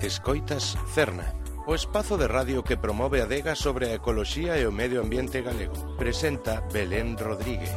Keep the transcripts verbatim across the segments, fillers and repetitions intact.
Escoitas Cerna, o espazo de radio que promove a adega sobre a ecoloxía e o medio ambiente galego. Presenta Belén Rodríguez.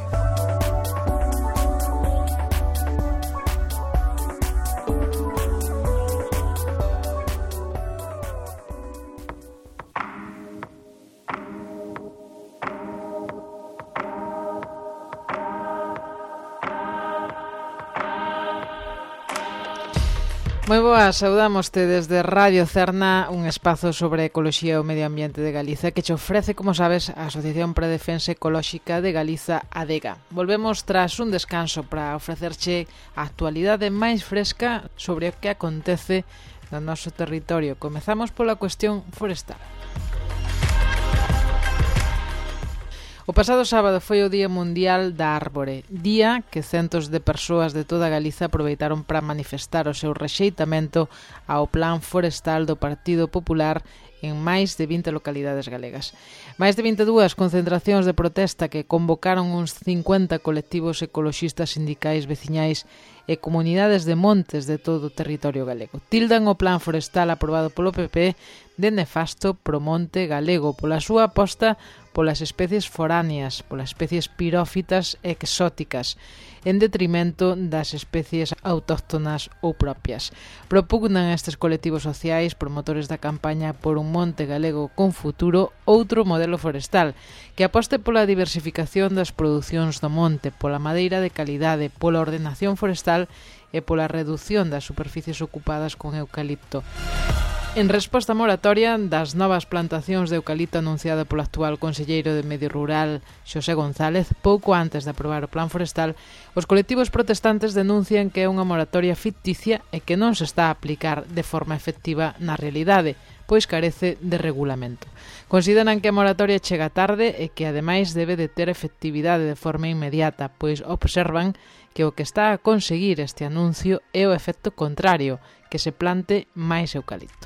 Moi boas, saudámoste desde Radio Cerna, un espazo sobre ecoloxía e o medio ambiente de Galiza que che ofrece, como sabes, a Asociación para a Defensa Ecolóxica de Galiza, ADEGA. Volvemos tras un descanso para ofrecerche a actualidade máis fresca sobre o que acontece no noso territorio. Comezamos pola cuestión forestal. O pasado sábado foi o Día Mundial da Árbore, día que centos de persoas de toda Galiza aproveitaron para manifestar o seu rexeitamento ao plan forestal do Partido Popular en máis de vinte localidades galegas. Máis de vinte e dúas concentracións de protesta que convocaron uns cincuenta colectivos ecoloxistas, sindicais, veciñais e comunidades de montes de todo o territorio galego. Tildan o plan forestal aprobado polo P P de nefasto pro monte galego pola súa aposta polas especies foráneas, polas especies pirófitas e exóticas, en detrimento das especies autóctonas ou propias. Propugnan estes colectivos sociais, promotores da campaña por un monte galego con futuro, outro modelo forestal, que aposte pola diversificación das producións do monte, pola madeira de calidade, pola ordenación forestal e pola redución das superficies ocupadas con eucalipto. En resposta á moratoria das novas plantacións de eucalipto anunciada polo actual conselleiro de Medio Rural, Xosé González, pouco antes de aprobar o plan forestal, os colectivos protestantes denuncian que é unha moratoria ficticia e que non se está a aplicar de forma efectiva na realidade, pois carece de regulamento. Consideran que a moratoria chega tarde e que ademais debe de ter efectividade de forma inmediata, pois observan que o que está a conseguir este anuncio é o efecto contrario, que se plante máis eucalipto.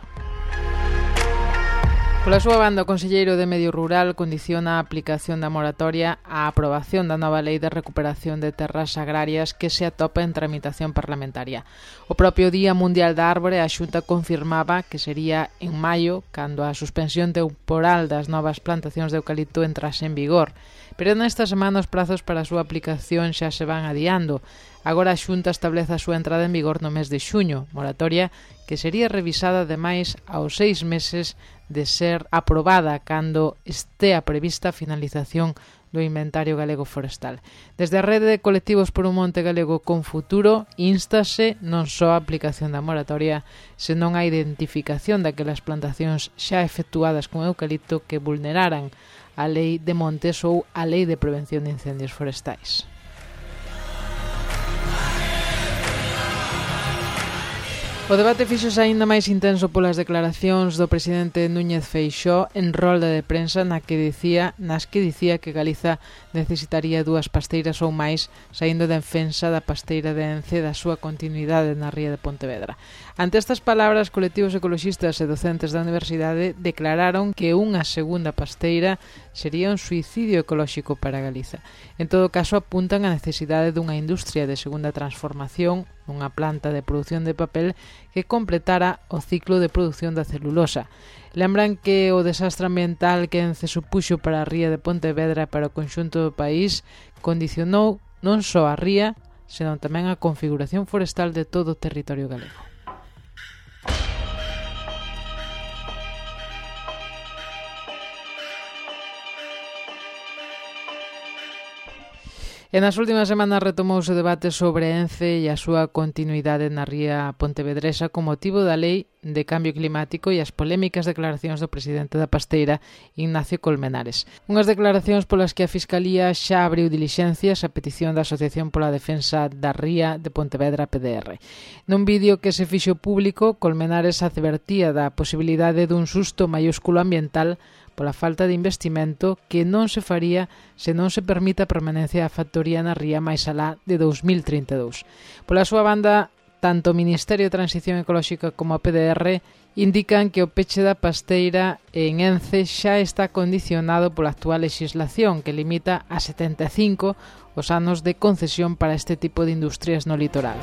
Pola súa banda, o conselleiro de Medio Rural condiciona a aplicación da moratoria á aprobación da nova lei de recuperación de terras agrarias que se atopa en tramitación parlamentaria. O propio Día Mundial da Árbore, a Xunta confirmaba que sería en maio cando a suspensión temporal das novas plantacións de eucalipto entrase en vigor, pero nesta semana os prazos para a súa aplicación xa se van adiando. Agora a Xunta establece a súa entrada en vigor no mes de xuño, moratoria que sería revisada ademais aos seis meses de ser aprobada cando estea prevista a finalización do inventario galego forestal. Desde a rede de colectivos por un monte galego con futuro, instase non só a aplicación da moratoria, senón a identificación daquelas plantacións xa efectuadas con eucalipto que vulneraran a lei de montes ou a lei de prevención de incendios forestais. O debate fíxose aínda máis intenso polas declaracións do presidente Núñez Feixóo en rolda de prensa na que dicía, nas que dicía que Galiza necesitaría dúas pasteiras ou máis, saindo de defensa da pasteira de Ence da súa continuidade na ría de Pontevedra. Ante estas palabras, colectivos ecoloxistas e docentes da universidade declararon que unha segunda pasteira sería un suicidio ecolóxico para Galiza. En todo caso, apuntan a necesidade dunha industria de segunda transformación, unha planta de produción de papel que completara o ciclo de produción da celulosa. Lembran que o desastre ambiental que Ence supuxo para a ría de Pontevedra e para o conxunto do país condicionou non só a ría, senón tamén a configuración forestal de todo o territorio galego. E nas últimas semanas retomouse o debate sobre Ence e a súa continuidade na ría pontevedresa con motivo da Lei de Cambio Climático e as polémicas declaracións do presidente da pasteira, Ignacio Colmenares. Unhas declaracións polas que a Fiscalía xa abriu dilixencias a petición da Asociación pola Defensa da Ría de Pontevedra, P D R. Nun vídeo que se fixo público, Colmenares advertía da posibilidade dun susto maiúsculo ambiental pola falta de investimento que non se faría se non se permite a permanencia da factoría na ría máis alá de dous mil trinta e dous. Pola súa banda, tanto o Ministerio de Transición Ecolóxica como a P D R indican que o peche da pasteira en Ence xa está condicionado pola actual legislación que limita a setenta e cinco os anos de concesión para este tipo de industrias no litoral.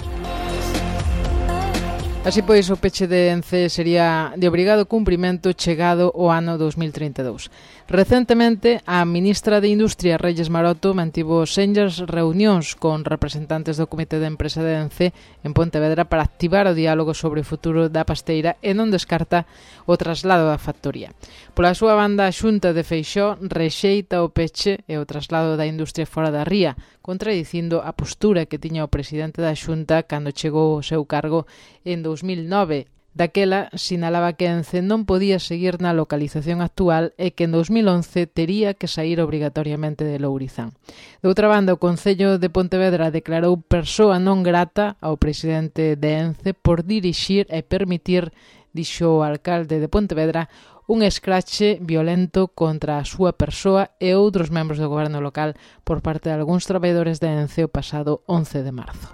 Así pois, o peche de Ence sería de obrigado cumprimento chegado o ano dous mil trinta e dous. Recentemente, a ministra de Industria, Reyes Maroto, mantivo senllas reunións con representantes do Comité de Empresa de Ence en Pontevedra para activar o diálogo sobre o futuro da pasteira e non descarta o traslado da factoría. Pola súa banda, a Xunta de Feixóo rexeita o peche e o traslado da industria fora da ría, contradicindo a postura que tiña o presidente da Xunta cando chegou ao seu cargo en dous mil nove. Daquela, sinalaba que Ence non podía seguir na localización actual e que en dous mil once tería que sair obrigatoriamente de Lourizán. De outra banda, o Concello de Pontevedra declarou persoa non grata ao presidente de Ence por dirixir e permitir, dixo o alcalde de Pontevedra, un escrache violento contra a súa persoa e outros membros do goberno local por parte de algúns traballadores de Ence o pasado once de marzo.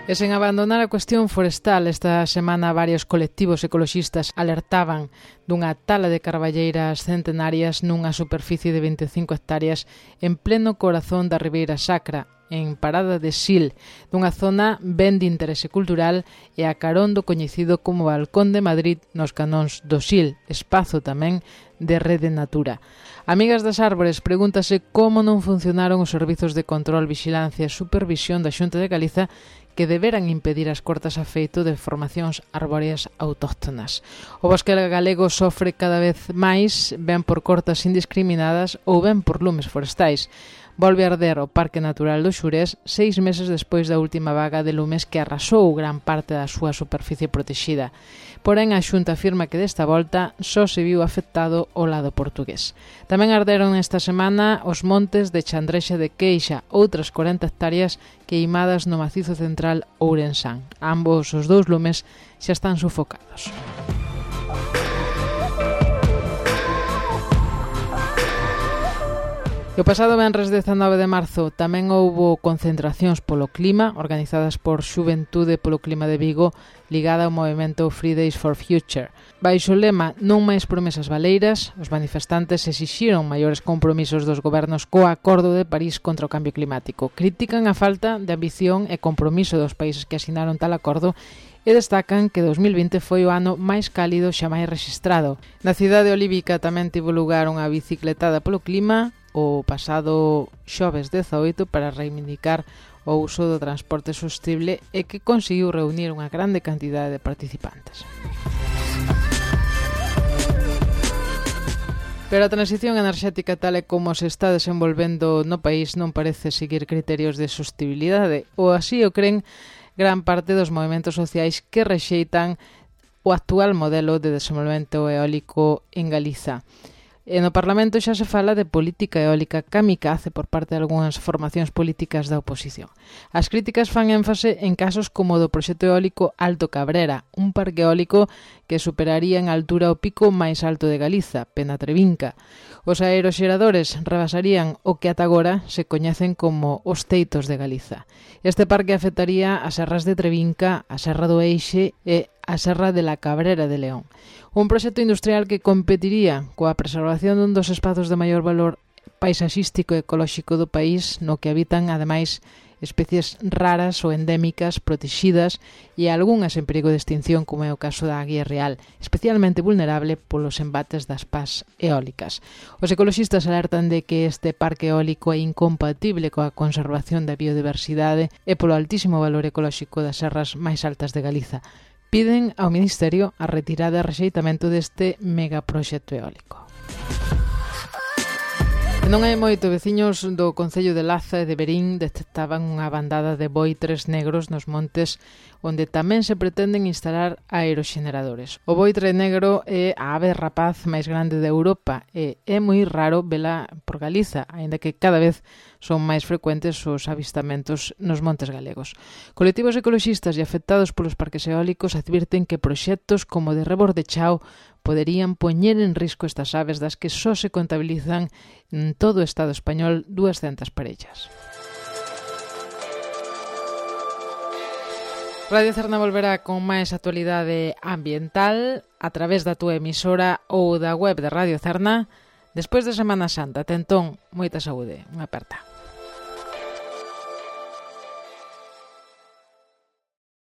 E sen abandonar a cuestión forestal, esta semana varios colectivos ecoloxistas alertaban dunha tala de carballeiras centenarias nunha superficie de vinte e cinco hectáreas en pleno corazón da Ribeira Sacra, en Parada de Sil, dunha zona ben de interese cultural e a carón do coñecido como Balcón de Madrid nos canóns do Sil, espazo tamén de Rede Natura. Amigas das Árbores pregúntase como non funcionaron os servizos de control, vixilancia e supervisión da Xunta de Galiza que deberan impedir as cortas a feito de formacións arbóreas autóctonas. O bosque galego sofre cada vez máis, ben por cortas indiscriminadas ou ben por lumes forestais. Volve a arder o Parque Natural do Xurés seis meses despois da última vaga de lumes que arrasou gran parte da súa superficie protexida. Porén, a Xunta afirma que desta volta só se viu afectado o lado portugués. Tamén arderon esta semana os montes de Chandrexa de Queixa, outras corenta hectáreas queimadas no macizo central ourensán. Ambos os dous lumes xa están sufocados. E o pasado venres dezanove de marzo tamén houbo concentracións polo clima organizadas por Xuventude polo Clima de Vigo ligada ao movimento Fridays for Future. Baixo o lema Non máis promesas baleiras, os manifestantes exixiron maiores compromisos dos gobernos co Acordo de París contra o Cambio Climático. Critican a falta de ambición e compromiso dos países que asinaron tal acordo e destacan que dous mil vinte foi o ano máis cálido xamais rexistrado. Na cidade olívica tamén tivo lugar unha bicicletada polo clima o pasado xoves dezaoito para reivindicar o uso do transporte sostible e que conseguiu reunir unha grande cantidade de participantes. Pero a transición enerxética tal e como se está desenvolvendo no país non parece seguir criterios de sostibilidade, ou así o creen gran parte dos movementos sociais que rexeitan o actual modelo de desenvolvemento eólico en Galiza. E no Parlamento xa se fala de política eólica kamikaze por parte de algunhas formacións políticas da oposición. As críticas fan énfase en casos como o do proxecto eólico Alto Cabrera, un parque eólico que superaría en altura o pico máis alto de Galiza, Penatrevinca. Os aeroxeradores rebasarían o que ata agora se coñecen como os teitos de Galiza. Este parque afectaría as serras de Trevinca, a Serra do Eixe e a Serra de la Cabrera de León. Un proxecto industrial que competiría coa preservación dun dos espazos de maior valor paisaxístico e ecolóxico do país, no que habitan, ademais, especies raras ou endémicas protegidas e algunhas en perigo de extinción, como é o caso da aguia real, especialmente vulnerable polos embates das pás eólicas. Os ecoloxistas alertan de que este parque eólico é incompatible coa conservación da biodiversidade e polo altísimo valor ecolóxico das serras máis altas de Galiza. Piden ao Ministerio a retirada e rexeitamento deste megaproxecto eólico. Non hai moito, veciños do Concello de Laza e de Verín detectaban unha bandada de boitres negros nos montes onde tamén se pretenden instalar aeroxeneradores. O boitre negro é a ave rapaz máis grande de Europa e é moi raro vela por Galiza, aínda que cada vez son máis frecuentes os avistamentos nos montes galegos. Colectivos ecoloxistas e afectados polos parques eólicos advirten que proxectos como de Reborde Chao poderían poñer en risco estas aves das que só se contabilizan en todo o Estado español duascentas parellas. Radio Cerna volverá con máis actualidade ambiental a través da túa emisora ou da web de Radio Cerna despois de Semana Santa. Tentón, moita saúde. Unha aperta.